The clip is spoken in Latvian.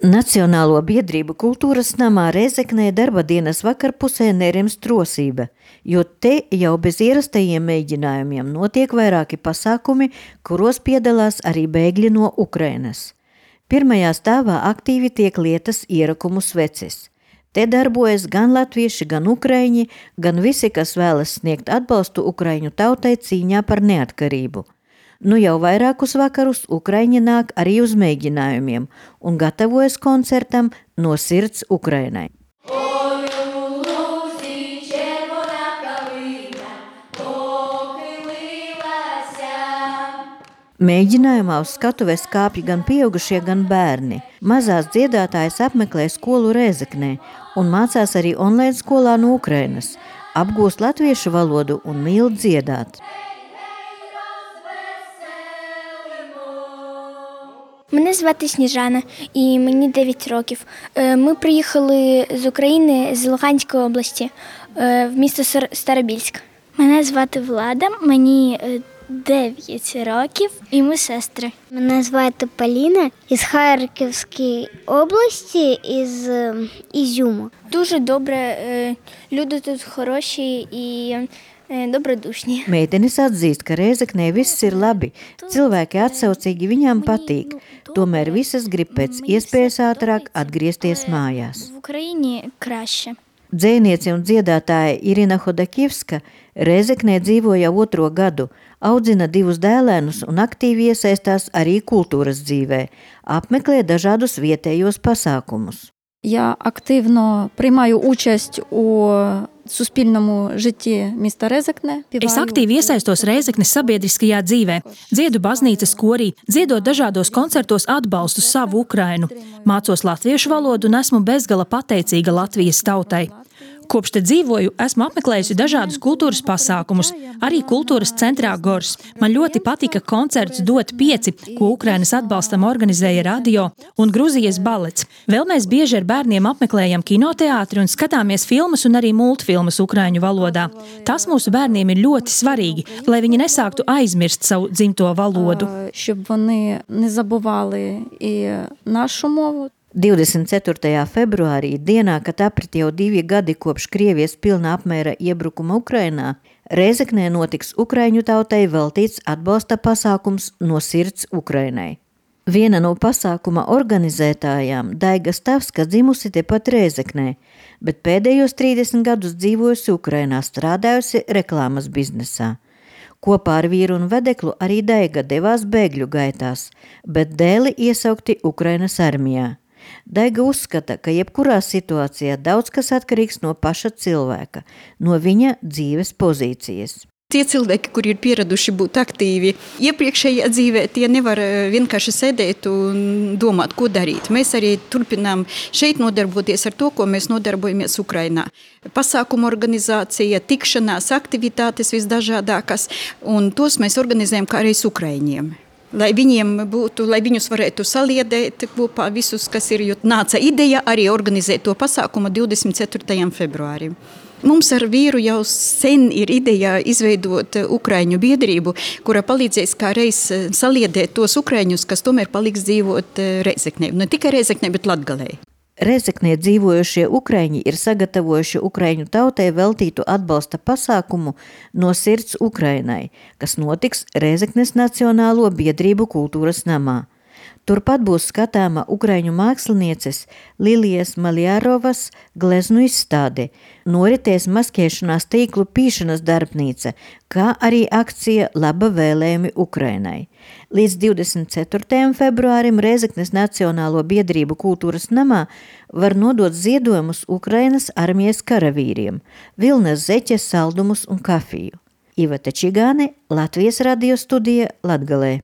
Nacionālo biedrību kultūras namā Rēzeknē darba dienas vakarpusē nerimst rosība, jo te jau bez ierastajiem mēģinājumiem notiek vairāki pasākumi, kuros piedalās arī bēgļi no Ukrainas. Pirmajā stāvā aktīvi tiek lietas ierakumu sveces. Te darbojas gan latvieši, gan ukraiņi, gan visi, kas vēlas sniegt atbalstu ukraiņu tautai cīņā par neatkarību. Nu jau vairākus vakarus ukraiņi nāk arī uz mēģinājumiem un gatavojas koncertam No sirds Ukrainai. Mēģinājumā uz skatuves kāpj gan pieaugušie, gan bērni. Mazās dziedātājas apmeklē skolu Rēzeknē un mācās arī online skolā no Ukrainas, apgūst latviešu valodu un mīl dziedāt. Мене звати Сніжана, і мені 9 років. Ми приїхали з України, з Луганської області, в місто Старобільськ. Мене звати Влада, мені 9 років, і ми сестри. Мене звати Поліна, із Харківської області, із Ізюму. Дуже добре, люди тут хороші і dobrodūšņi. Meitenes atzīst, ka Rēzeknē viss ir labi, cilvēki atsaucīgi viņām patīk, tomēr visas grib pēc iespējas ātrāk atgriezties mājās. В Україні краще. Dzejniece un dziedātāja Irina Hodakivska Rēzeknē dzīvo jau 2. gadu, audzina 2 dēlēnus un aktīvi iesaistās arī kultūras dzīvē, apmeklē dažādus vietējos pasākumus. Я активно приймаю участь у суспільному житті міста Рēzekne. Es aktīvi iesaistos Rēzeknes sabiedriskajā dzīvē, dziedu baznīcas korī, dziedot dažādos koncertos atbalstu savu Ukrainu, mācos latviešu valodu un esmu bezgala pateicīga Latvijas tautai. Kopš te dzīvoju, esmu apmeklējusi dažādus kultūras pasākumus, arī kultūras centrā Gors. Man ļoti patika koncerts Dot 5, ko Ukrainas atbalstam organizēja radio un Gruzijas balets. Vēl mēs bieži ar bērniem apmeklējam kinoteātri un skatāmies filmas un arī multfilmas ukraiņu valodā. Tas mūsu bērniem ir ļoti svarīgi, lai viņi nesāktu aizmirst savu dzimto valodu. Щоб вони не забували і нашу мову. 24. februārī, dienā, kad aprit jau 2 gadi kopš Krievijas pilna apmēra iebrukuma Ukrainā, Rēzeknē notiks ukraiņu tautai veltīts atbalsta pasākums No sirds Ukrainai. Viena no pasākuma organizētājām, Daiga Stavska, dzimusi tepat Rēzeknē, bet pēdējos 30 gadus dzīvojusi Ukrainā, strādājusi reklāmas biznesā. Kopā ar vīru un vedeklu arī Daiga devās bēgļu gaitās, bet dēli iesaukti Ukrainas armijā. Daiga uzskata, ka jebkurā situācijā daudz kas atkarīgs no paša cilvēka, no viņa dzīves pozīcijas. Tie cilvēki, kuri ir pieraduši būt aktīvi iepriekšējā dzīvē, tie nevar vienkārši sēdēt un domāt, ko darīt. Mēs arī turpinām šeit nodarboties ar to, ko mēs nodarbojamies Ukrainā. Pasākumu organizācija, tikšanās, aktivitātes visdažādākas, un tos mēs organizējam kā arī ukraiņiem. Lai viņiem būtu, lai viņus varētu saliedēt kopā visus, kas ir, jo nāca ideja arī organizēt to pasākumu 24. februārim. Mums ar vīru jau sen ir ideja izveidot ukraiņu biedrību, kura palīdzēs kā reiz saliedēt tos ukraiņus, kas tomēr paliks dzīvot Rēzeknē. Ne tikai Rēzeknē, bet Latgalē. Rēzeknē dzīvojošie ukraiņi ir sagatavojuši ukraiņu tautai veltītu atbalsta pasākumu No sirds Ukrainai, kas notiks Rēzeknes Nacionālo biedrību kultūras namā. Turpat būs skatāma ukraiņu mākslinieces Lilijas Maljarovas gleznu izstāde, noritēs maskēšanās tīklu pīšanas darbnīca, kā arī akcija Laba vēlējumi Ukrainai. Līdz 24. februārim Rēzeknes Nacionālo biedrību kultūras namā var nodot ziedojumus Ukrainas armijas karavīriem, vilnas zeķes, saldumus un kafiju. Iveta Čigāne, Latvijas radio studija Latgalē.